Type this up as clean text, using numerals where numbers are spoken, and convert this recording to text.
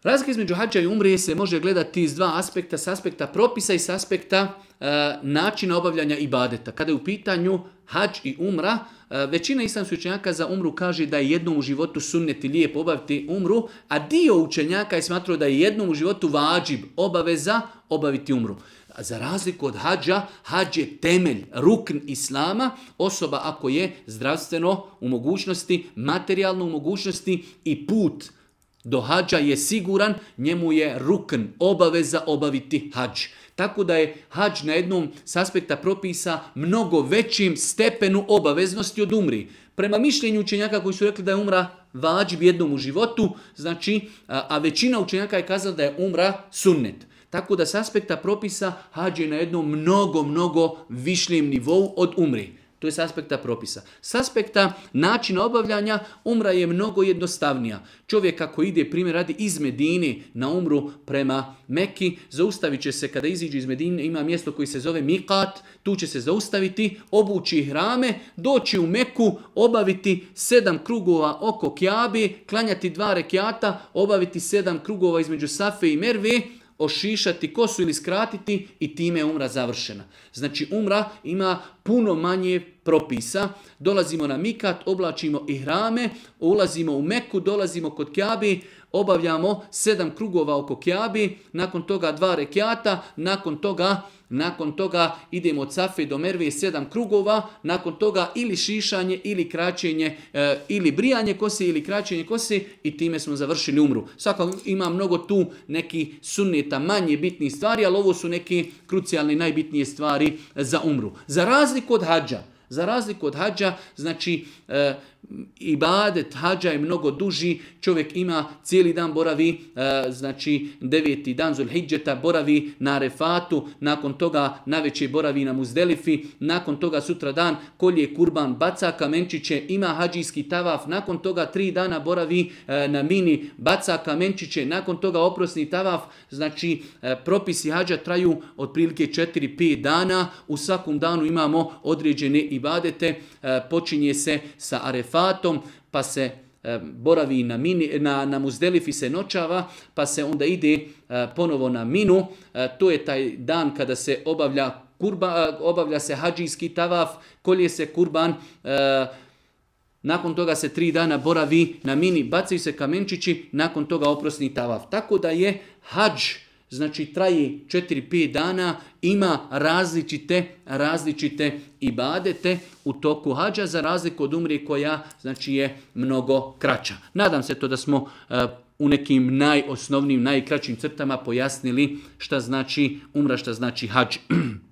Razlika između hadža i umre se može gledati iz dva aspekta, s aspekta propisa i s aspekta načina obavljanja ibadeta. Kada je u pitanju hadž i umra, većina islamskih učenjaka za umru kaže da je jednom u životu sunnet i lijepo obaviti umru, a dio učenjaka je smatrao da je jednom u životu vađib, obaveza obaviti umru. Za razliku od hadža, hadž je temelj, rukn islama, osoba ako je zdravstveno u mogućnosti, materijalno u mogućnosti i put do hadža je siguran, njemu je rukn, obaveza obaviti hadž. Tako da je hadž na jednom s aspekta propisa mnogo većim stepenu obaveznosti od umri. Prema mišljenju učenjaka koji su rekli da je umra vađib jednom u životu, znači, a većina učenjaka je kazala da je umra sunnet. Tako da s aspekta propisa hadž je na jednom mnogo višljem nivou od umri. To je s aspekta propisa. S aspekta načina obavljanja umra je mnogo jednostavnija. Čovjek ako ide, primjer radi, iz Medine na umru prema Meki, zaustavit će se kada iziđe iz Medine, ima mjesto koji se zove Mikat, tu će se zaustaviti, obući hrame, doći u Meku, obaviti 7 krugova oko Kjabe, klanjati 2 rekiata, obaviti 7 krugova između Safe i Merve, ošišati kosu ili skratiti i time je umra završena. Znači umra ima puno manje propisa. Dolazimo na Mikat, oblačimo ihrame, ulazimo u Meku, dolazimo kod Kjabe, obavljamo 7 krugova oko Kjabe, nakon toga 2 rekiata, nakon toga idemo od Safe do Merve 7 krugova, nakon toga ili šišanje, ili kraćenje, ili brijanje kose, ili kraćenje kose i time smo završili umru. Svakako ima mnogo tu neki sunneta, manje bitnih stvari, ali ovo su neke krucijalne najbitnije stvari za umru. Za razliku od hadža, znači ibadet hadža je mnogo duži, čovjek ima cijeli dan boravi, znači 9. dan Zulhidžeta boravi na Arefatu, nakon toga navečer boravi na Muzdelifi, nakon toga sutra dan kolje kurban, baca kamenčiće, ima hadžijski tavaf, nakon toga 3 dana boravi na Mini, baca kamenčiće, nakon toga oprosni tavaf, znači propisi hadža traju otprilike 4-5 dana, u svakom danu imamo određene ibadete, počinje se sa Arefatom, pa se boravi na Muzdelifi se noćava, pa se onda ide ponovo na Minu. To je taj dan kada se obavlja se hadžijski tavaf, kolje se kurban, nakon toga se 3 dana boravi na Mini, bacaju se kamenčići, nakon toga oprosni tavaf. Tako da je hadž, znači traje 4-5 dana, ima različite ibadete u toku hadža, za razliku od umre koja znači je mnogo kraća. Nadam se to da smo u nekim najosnovnijim, najkraćim crtama pojasnili šta znači umra, šta znači hadž.